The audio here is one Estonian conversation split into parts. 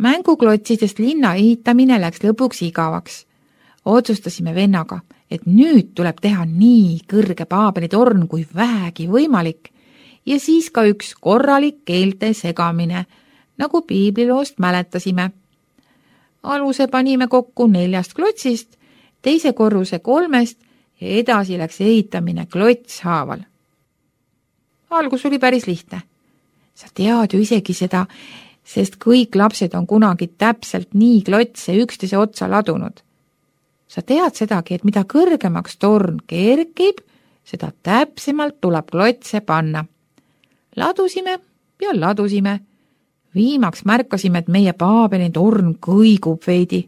Mänguklotsidest linna ehitamine läks lõpuks igavaks. Otsustasime vennaga, et nüüd tuleb teha nii kõrge paabelitorn kui vähegi võimalik ja siis ka üks korralik keelte segamine, nagu piibliloost mäletasime. Aluse panime kokku 4 klotsist, teise korruse 3 ja edasi läks ehitamine klots haaval. Algus oli päris lihtne. Sa tead ju isegi seda, sest kõik lapsed on kunagi täpselt nii klotse üksteise otsa ladunud. Sa tead sedagi, et mida kõrgemaks torn kerkib, seda täpsemalt tuleb klotse panna. Ladusime ja ladusime. Viimaks märkasime, et meie paabelitorn kõigub veidi.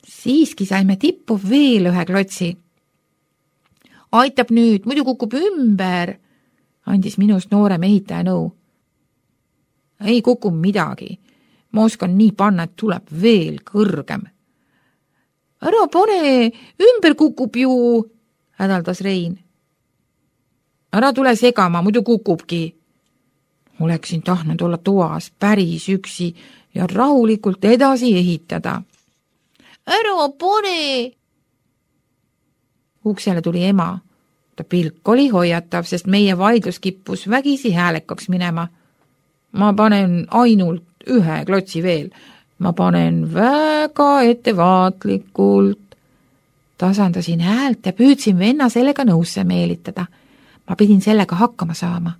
Siiski saime tippu veel 1 klotsi. Aitab nüüd, muidu kukub ümber, andis minust noorem ehitaja nõu. Ei kuku midagi. Ma oskan nii panna, et tuleb veel kõrgem. Ära pane, ümber kukub ju, hädaldas Rein. Ära tule segama, muidu kukubki. Oleksin tahtnud olla toas päris üksi ja rahulikult edasi ehitada. Ära pane! Uksele tuli ema. Ta pilk oli hoiatav, sest meie vaidlus kippus vägisi häälekaks minema. Ma panen ainult 1 klotsi veel. Ma panen väga ettevaatlikult. Tasandasin häält ja püüdsin venna sellega nõusse meelitada. Ma pidin sellega hakkama saama.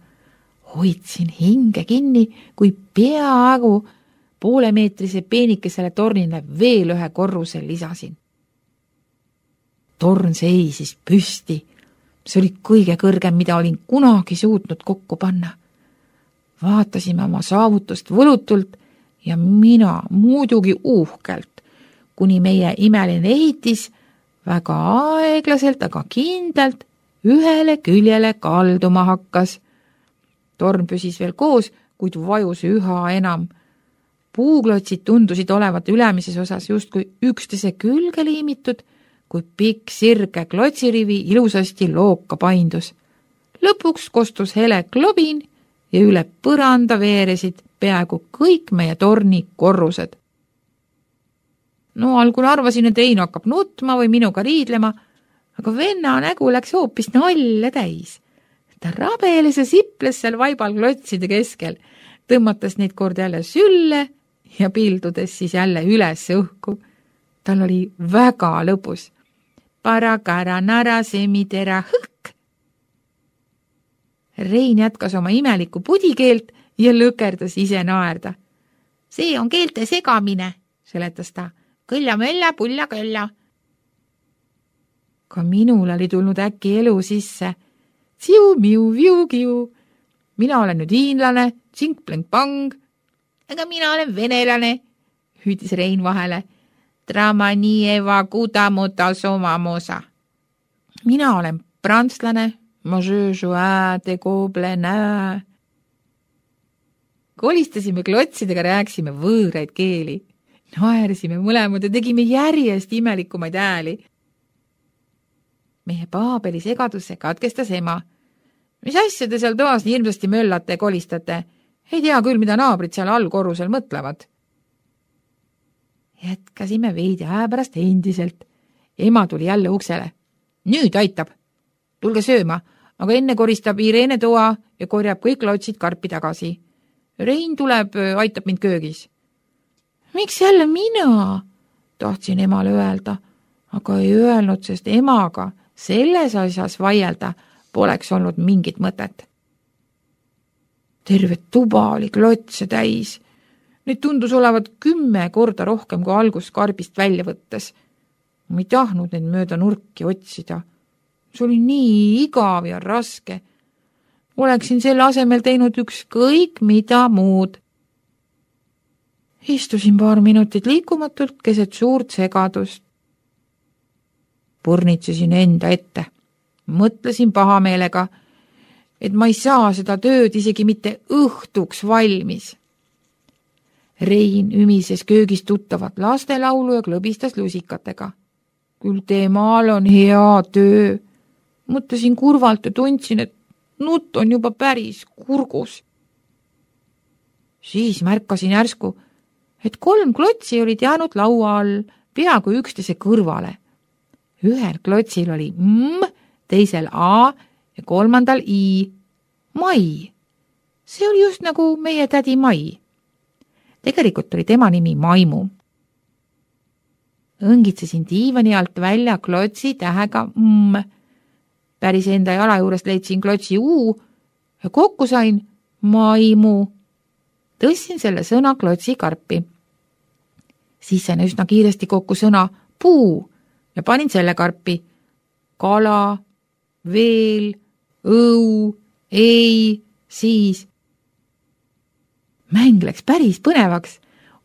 Hoidsin hinge kinni, kui peaaegu poolemeetrise peenikesele tornile veel 1 korruse lisasin. Torn seisis püsti. See oli kõige kõrgem, mida olin kunagi suutnud kokku panna. Vaatasime oma saavutust võlutult ja mina muidugi uhkelt, kuni meie imeline ehitis väga aeglaselt, aga kindlalt ühele küljele kalduma hakkas. Torn püsis veel koos, kuid vajus üha enam. Puuklotsid tundusid olevat ülemises osas justkui üksteise külge liimitud, kui pikk sirge klotsirivi ilusasti looka paindus. Lõpuks kostus hele klobin ja üle põranda veeresid peaaegu kõik meie torni korrused. No algul arvasin, et Rein hakkab nutma või minuga riidlema, aga venna nägu läks hoopis nalja täis. Ta rabeles ja siples seal vaibal klotside keskel, tõmmates neid kord jälle sülle ja pildudes siis jälle üles õhku. Tal oli väga lõbus. Parakara nara semitera hõkk. Rein jätkas oma imelikku pudikeelt ja lõkerdas ise naerda. See on keelte segamine, seletas ta. Kõlla-mölla, pulla-kölla. Ka minul oli tulnud äkki elu sisse. Tsiu-miu-viu-kiu. Mina olen nüüd hiinlane, tsink-plänk-pang. Aga mina olen venelane, hüüdis Rein vahele. Tramanieva kudamota somamosa. Mina olen prantslane, de goblenä. Kolistasime klotsidega, rääksime võõraid keeli. Naersime mõlemad ja tegime järjest imelikumaid hääli. Meie paabeli segadusse katkestas ema. Mis asja te seal toas nii hirmsasti möllate ja kolistate? Ei tea küll, mida naabrid seal allkorrusel mõtlevad. Jätkasime veidi aja pärast endiselt. Ema tuli jälle uksele. Nüüd aitab. Tulge sööma, aga enne koristab Irene toa ja korjab kõik klotsid karpi tagasi. Rein tuleb, aitab mind köögis. Miks jälle mina? Tahtsin emale öelda, aga ei öelnud, sest emaga selles asjas vaielda poleks olnud mingit mõtet. Terve tuba oli klotse täis. Neid tundus olevat 10 korda rohkem kui algus karbist välja võttes. Ma ei tahtnud neid mööda nurki otsida. See oli nii igav ja raske. Oleksin selle asemel teinud ükskõik mida muud. Istusin paar minutit liikumatult keset suurt segadust. Purnitsesin enda ette. Mõtlesin pahameelega, et ma ei saa seda tööd isegi mitte õhtuks valmis. Rein ümises köögis tuttavat lastelaulu ja klõbistas lusikatega. Küll temal on hea töö. Mõtlesin kurvalt ja tundsin, et nutt on juba päris kurgus. Siis märkasin järsku, et 3 klotsi olid jäänud laua all peaaegu üksteise kõrvale. Ühel klotsil oli M, teisel A ja 3. I. Mai. See oli just nagu meie tädi Mai. Tegelikult oli tema nimi Maimu. Õngitsesin diivani alt välja klotsi tähega M. Päris enda jala juurest leidsin klotsi U ja kokku sain Maimu. Tõstsin selle sõna klotsi karpi. Siis sain üsna kiiresti kokku sõna puu ja panin selle karpi. Kala, veel, õu, ei, siis. Mäng läks päris põnevaks.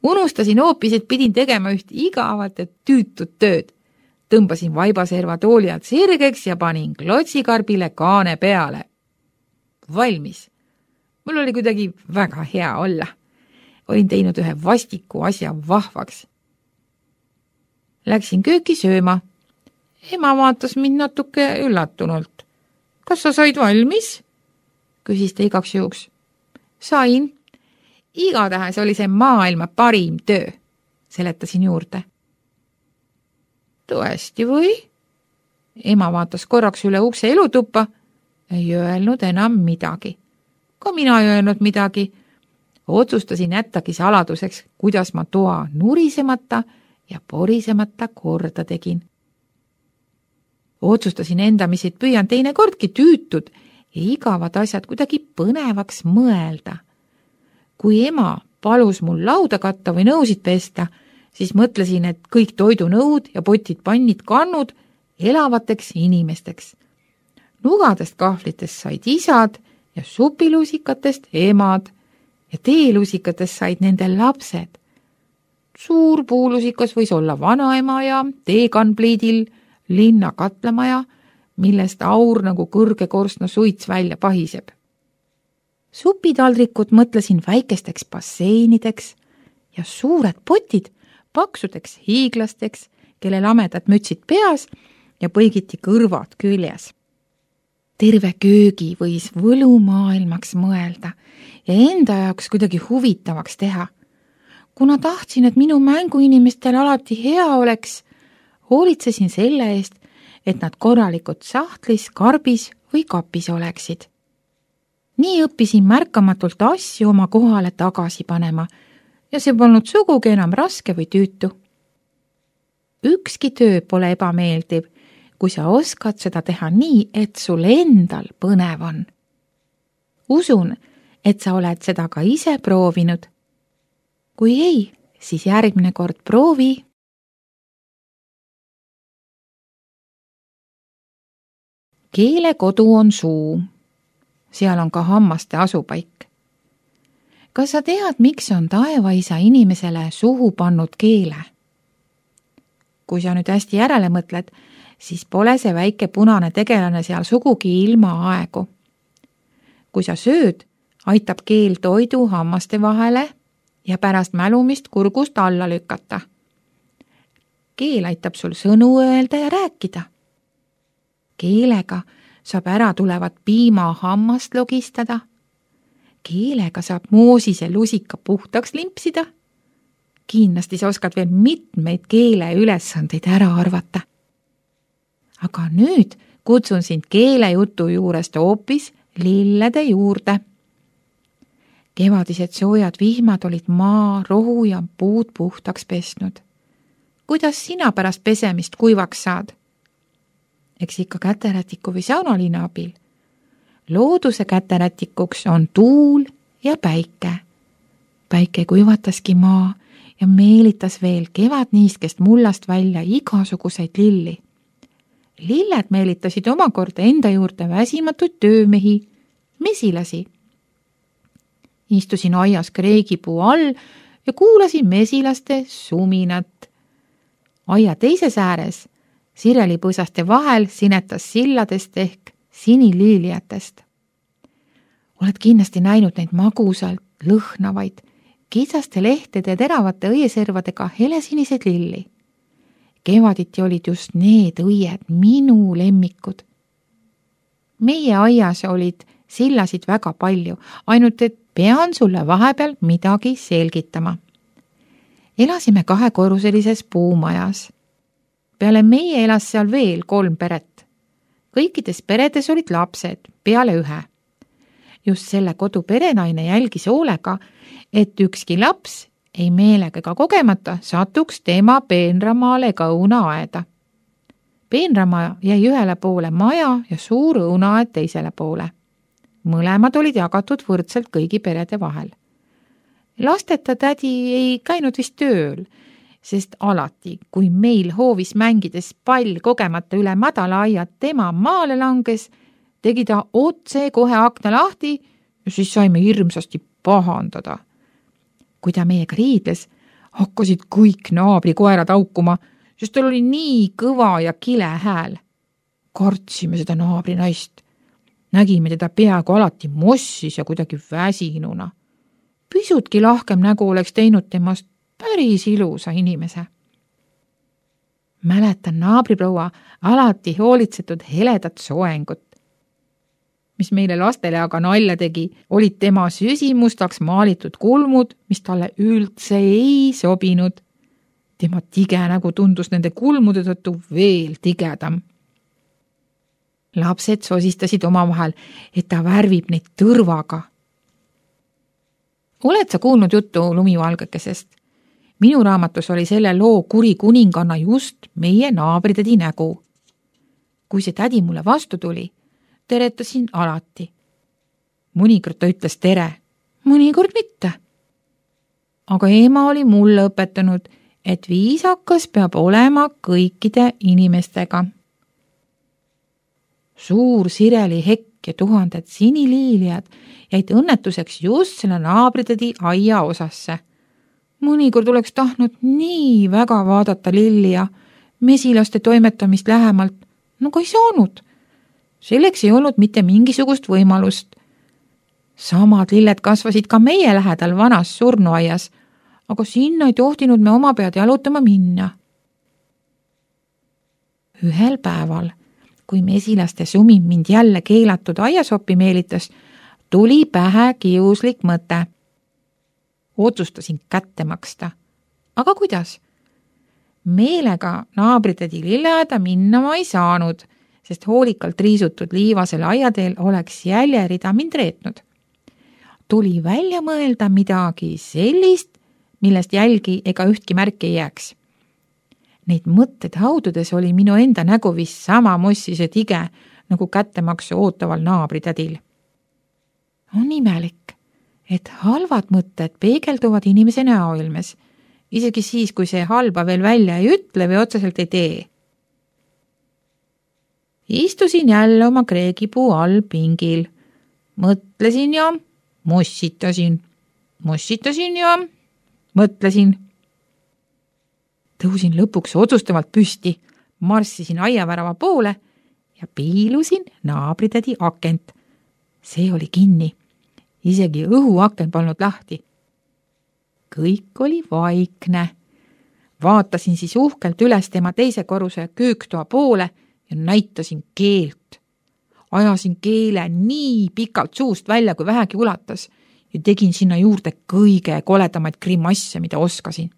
Unustasin hoopis, et pidin tegema üht igavat ja tüütut tööd. Tõmbasin vaibaserva tooli alt sirgeks ja panin klotsikarbile kaane peale. Valmis. Mul oli kuidagi väga hea olla. Olin teinud ühe vastiku asja vahvaks. Läksin kööki sööma. Ema vaatas mind natuke üllatunult. Kas sa said valmis? Küsis ta igaks juhuks. Sain. Igatahes oli see maailma parim töö, seletasin juurde. Tõesti või? Ema vaatas korraks üle ukse elutuppa, ei öelnud enam midagi. Ka mina ei öelnud midagi. Otsustasin jättagi saladuseks, kuidas ma toa nurisemata ja porisemata korda tegin. Otsustasin endamisid püüan teinekordki tüütud ja igavad asjad kuidagi põnevaks mõelda. Kui ema palus mul lauda katta või nõusid pesta, siis mõtlesin, et kõik toidunõud ja potid, pannid, kannud elavateks inimesteks. Nugadest kahvlitest said isad ja supilusikatest emad ja teelusikatest said nende lapsed. Suur puulusikas võis olla vanaema ja teekanpliidil linna katlamaja, millest aur nagu kõrge korstna suits välja pahiseb. Supitaldrikud mõtlesin väikesteks basseinideks ja suured potid paksudeks hiiglasteks, kelle lamedad mütsid peas ja põigiti kõrvad küljes. Terve köögi võis võlumaailmaks mõelda ja enda jaoks kuidagi huvitavaks teha. Kuna tahtsin, et minu mänguinimestel alati hea oleks, hoolitsesin selle eest, et nad korralikult sahtlis, karbis või kapis oleksid. Nii õppisin märkamatult asju oma kohale tagasi panema ja see polnud sugugi enam raske või tüütu. Ükski töö pole ebameeldiv, kui sa oskad seda teha nii, et sul endal põnev on. Usun, et sa oled seda ka ise proovinud. Kui ei, siis järgmine kord proovi. Keele kodu on suu. Seal on ka hammaste asupaik. Kas sa tead, miks on taevaisa inimesele suhu pannud keele? Kui sa nüüd hästi järele mõtled, siis pole see väike punane tegelane seal sugugi ilma aegu. Kui sa sööd, aitab keel toidu hammaste vahele ja pärast mälumist kurgust alla lükata. Keel aitab sul sõnu öelda ja rääkida. Keelega saab ära tulevat piima hammast logistada. Keelega saab moosise lusika puhtaks limpsida. Kindlasti sa oskad veel mitmeid keele ülesandeid ära arvata. Aga nüüd kutsun sind keelejutu juurest hoopis lillede juurde. Kevadised soojad vihmad olid maa, rohu ja puud puhtaks pesnud. Kuidas sina pärast pesemist kuivaks saad? Eks ikka käterätiku või saunaliina abil. Looduse käterätikuks on tuul ja päike. Päike kuivataski maa ja meelitas veel kevadniiskest mullast välja igasuguseid lilli. Lilled meelitasid omakorda enda juurde väsimatuid töömehi, mesilasi. Istusin aias kreegipuu all ja kuulasin mesilaste suminat. Aia teises ääres sirelipõõsaste vahel sinetas silladest ehk siniliiliatest. Oled kindlasti näinud neid magusalt lõhnavaid, kitsaste lehtede ja teravate õieservadega helesiniseid lilli. Kevaditi olid just need õied minu lemmikud. Meie aias olid sillasid väga palju, ainult et pean sulle vahepeal midagi selgitama. Elasime 2-korruselises puumajas. Peale meie elas seal veel 3 peret. Kõikides peredes olid lapsed, peale 1. Just selle kodu perenaine jälgis hoolega, et ükski laps ei meelega ega kogemata satuks tema peenramaale ega õunaaeda. Peenramaa jäi ühele poole maja ja suur õunaaed teisele poole. Mõlemad olid jagatud võrdselt kõigi perede vahel. Lasteta tädi ei käinud vist tööl, sest alati, kui meil hoovis mängides pall kogemata üle madala aia tema maale langes, tegi ta otse kohe akna lahti ja siis saime hirmsasti pahandada. Kui ta meiega riidles, hakkasid kõik naabrikoerad aukuma, sest tal oli nii kõva ja kile hääl. Kartsime seda naabrinaist. Nägime teda peaaegu alati mossis ja kuidagi väsinuna. Pisutki lahkem nägu oleks teinud temast päris ilusa inimese. Mäletan naabriproua alati hoolitsetud heledat soengut. Mis meile lastele aga nalja tegi, olid tema süsimustaks maalitud kulmud, mis talle üldse ei sobinud. Tema tige nägu tundus nende kulmude tõttu veel tigedam. Lapsed sosistasid omavahel, et ta värvib neid tõrvaga. Oled sa kuulnud juttu lumivalgekesest? Minu raamatus oli selle loo kuri kuninganna just meie naabritädi nägu. Kui see tädi mulle vastu tuli, teretasin alati. Mõnikord ta ütles tere, mõnikord mitte. Aga ema oli mulle õpetanud, et viisakas peab olema kõikide inimestega. Suur sireli hekk ja 1000 siniliiliad jäid õnnetuseks just selle naabritädi aia osasse. Mõnikord oleks tahtnud nii väga vaadata lilli ja mesilaste toimetamist lähemalt, nagu ei saanud. Selleks ei olnud mitte mingisugust võimalust. Samad lilled kasvasid ka meie lähedal vanas surnuaias, aga sinna ei tohtinud me oma pead jalutama minna. Ühel päeval, kui mesilaste sumin mind jälle keelatud aiasoppi meelitas, tuli pähe kiuslik mõte. Otsustasin kätte maksta. Aga kuidas? Meelega naabritädi lilleaeda minna ma ei saanud, sest hoolikalt riisutud liivasel aiateel oleks jäljerida mind reetnud. Tuli välja mõelda midagi sellist, millest jälgi ega ühtki märki ei jääks. Neid mõtted haududes oli minu enda nägu vist sama mossis ja tige, nagu kättemaksu ootaval naabritädil. On imelik, et halvad mõtted peegelduvad inimese näoilmes, isegi siis, kui see halba veel välja ei ütle või otseselt ei tee. Istusin jälle oma kreegipuu all pingil. Mõtlesin ja mossitasin. Mossitasin ja mõtlesin. Tõusin lõpuks otsustavalt püsti, marssisin aiavärava poole ja piilusin naabritädi akent. See oli kinni. Isegi õhuaken polnud lahti. Kõik oli vaikne. Vaatasin siis uhkelt üles tema teise korruse kööktoa poole ja näitasin keelt. Ajasin keele nii pikalt suust välja, kui vähegi ulatas ja tegin sinna juurde kõige koledamaid grimasse, mida oskasin.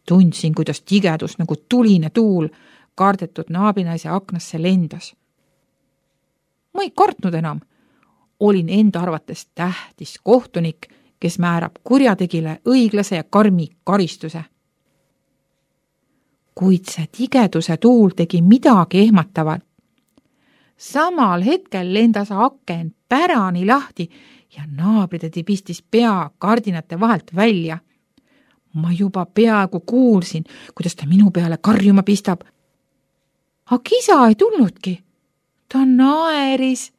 Tundsin, kuidas tigedus nagu tuline tuul kardetud naabrinaise aknasse lendas. Ma ei kartnud enam. Olin enda arvates tähtis kohtunik, kes määrab kurjategile õiglase ja karmi karistuse. Kuid see tigeduse tuul tegi midagi ehmatavat. Samal hetkel lendas aken pärani lahti ja naabritädi pistis pea kardinate vahelt välja. Ma juba peaaegu kuulsin, kuidas ta minu peale karjuma pistab. Aga isa ei tulnudki. Ta naeris.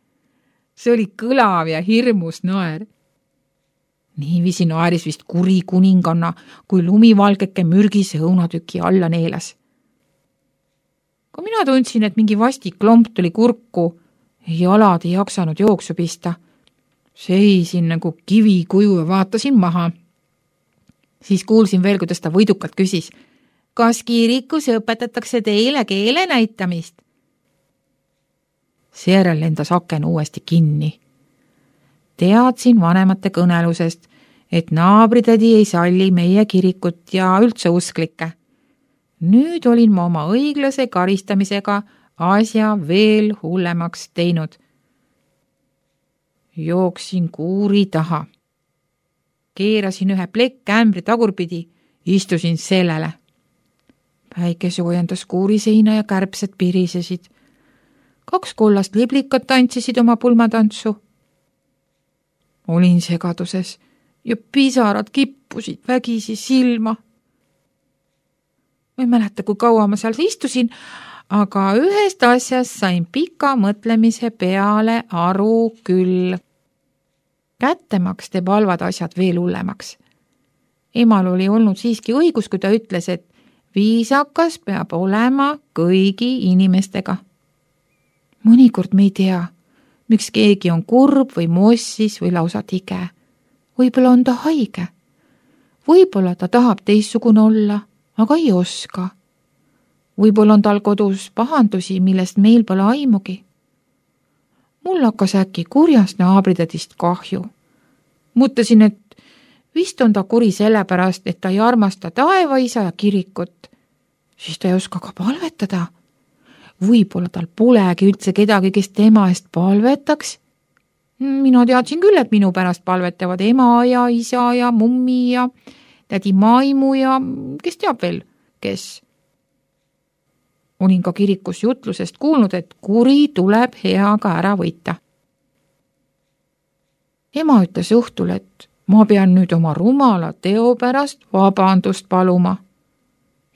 See oli kõlav ja hirmus naer. Niiviisi naeris vist kuri kuninganna, kui lumivalgeke mürgise õunatüki alla neelas. Kui mina tundsin, et mingi vastik lomp tuli kurku, jalad ei jaksanud jooksu pista. Seisin nagu kivikuju ja vaatasin maha. Siis kuulsin veel, kuidas ta võidukalt küsis, kas kirikus õpetatakse teile keele näitamist? Seejärel lendas aken uuesti kinni. Teadsin vanemate kõnelusest, et naabritädi ei salli meie kirikut ja üldse usklikke. Nüüd olin ma oma õiglase karistamisega asja veel hullemaks teinud. Jooksin kuuri taha. Keerasin ühe plekkäämbri tagurpidi, istusin sellele. Päike soojendas kuuri seina ja kärbsed pirisesid. 2 kollast liblikat tantsisid oma pulmatantsu. Olin segaduses ja pisarad kippusid vägisi silma. Ma ei mäleta, kui kaua ma seal istusin, aga ühest asjast sain pika mõtlemise peale aru küll. Kättemaks teeb halvad asjad veel hullemaks. Emal oli olnud siiski õigus, kui ta ütles, et viisakas peab olema kõigi inimestega. Mõnikord me ei tea, miks keegi on kurb või mossis või lausa tige. Võib-olla on ta haige. Võib-olla ta tahab teistsugune olla, aga ei oska. Võib-olla on tal kodus pahandusi, millest meil pole aimugi. Mul hakkas äkki kurjast naabritädist kahju. Mõtlesin, et vist on ta kuri sellepärast, et ta ei armasta taevaisa ja kirikut. Siis ta ei oska ka palvetada. Võib-olla tal polegi üldse kedagi, kes tema eest palvetaks. Mina teadsin küll, et minu pärast palvetavad ema ja isa ja mummi ja tädi Maimu ja kes teab veel, kes. Olin ka kirikus jutlusest kuulnud, et kuri tuleb heaga ära võita. Ema ütles õhtul, et ma pean nüüd oma rumala teo pärast vabandust paluma.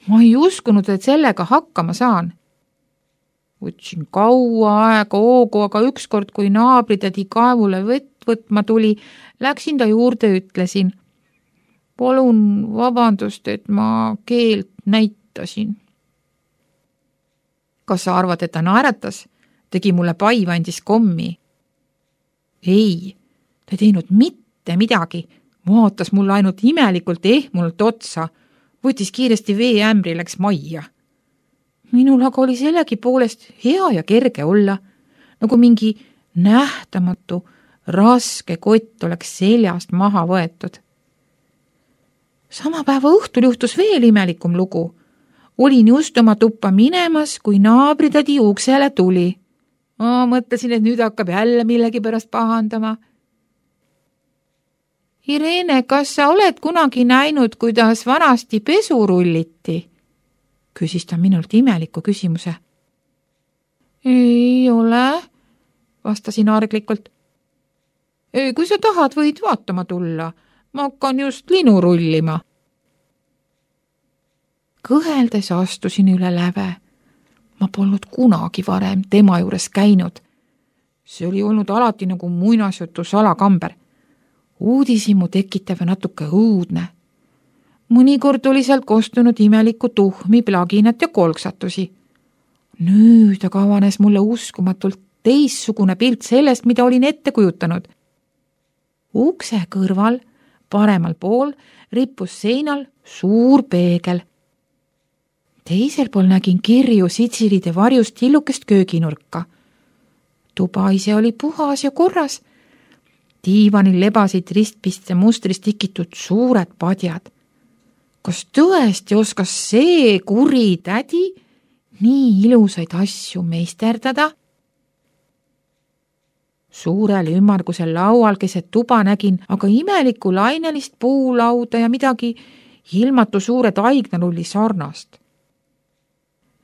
Ma ei uskunud, et sellega hakkama saan. Võtsin kaua aega hoogu, aga ükskord, kui naabritädi kaevule võtma tuli, läksin ta juurde, ütlesin. Palun vabandust, et ma keelt näitasin. Kas sa arvad, et ta naeratas? Tegi mulle paiva, andis kommi. Ei, ta ei teinud mitte midagi. Vaatas mulle ainult imelikult ehmunult otsa. Võttis kiiresti veeämbri, läks majja. Minul aga oli sellegi poolest hea ja kerge olla, nagu mingi nähtamatu, raske kott oleks seljast maha võetud. Sama päeva õhtul juhtus veel imelikum lugu. Olin just oma tuppa minemas, kui naabritädi uksele tuli. Ma mõtlesin, et nüüd hakkab jälle millegi pärast pahandama. Irene, kas sa oled kunagi näinud, kuidas vanasti pesu rulliti? Küsis ta minult imeliku küsimuse. Ei ole, vastasin arglikult. Kui sa tahad, võid vaatama tulla. Ma hakkan just linu rullima. Kõheldes astusin üle läve. Ma polnud kunagi varem tema juures käinud. See oli olnud alati nagu muinasjutu salakamber. Uudishimu tekitav ja natuke õudne. Mõnikord oli sealt kostunud imelikku tuhmi, plaginat ja kolksatusi. Nüüd aga avanes mulle uskumatult teissugune pilt sellest, mida olin ette kujutanud. Ukse kõrval, paremal pool, rippus seinal suur peegel. Teisel pool nägin kirju sitsilide varjust tillukest kööginurka. Tuba ise oli puhas ja korras. Diivanil lebasid ristpiste mustrist tikitud suured padjad. Kas tõesti oskas see kuri tädi nii ilusaid asju meisterdada? Suurel ümmargusel laual keset tuba nägin aga imelikku lainelist puulauda ja midagi ilmatu suure taignalulli sarnast.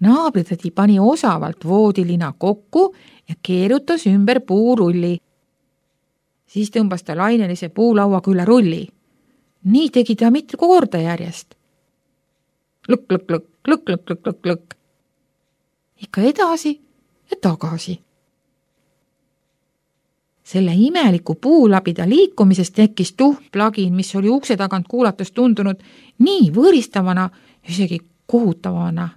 Naabritädi pani osavalt voodilina kokku ja keerutas ümber puurulli. Siis tõmbas ta lainelise puulauaga üle rulli. Nii tegi ta mitu korda järjest. Lõkk, lõkk, lõkk, lõkk, lõkk, lõkk, lõkk, lõkk. Ikka edasi ja tagasi. Selle imeliku puulabida liikumisest tekkis tuhmplagin, mis oli ukse tagant kuulates tundunud nii võõristavana, isegi kohutavana.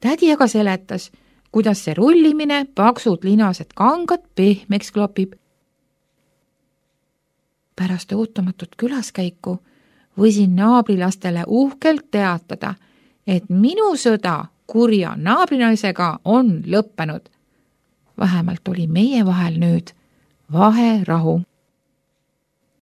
Tädi aga seletas, kuidas see rullimine paksud linased kangad pehmeks klopib. Pärast ootamatut külaskäiku võisin naabrilastele uhkelt teatada, et minu sõda kurja naabrinaisega on lõppenud. Vähemalt oli meie vahel nüüd vaherahu.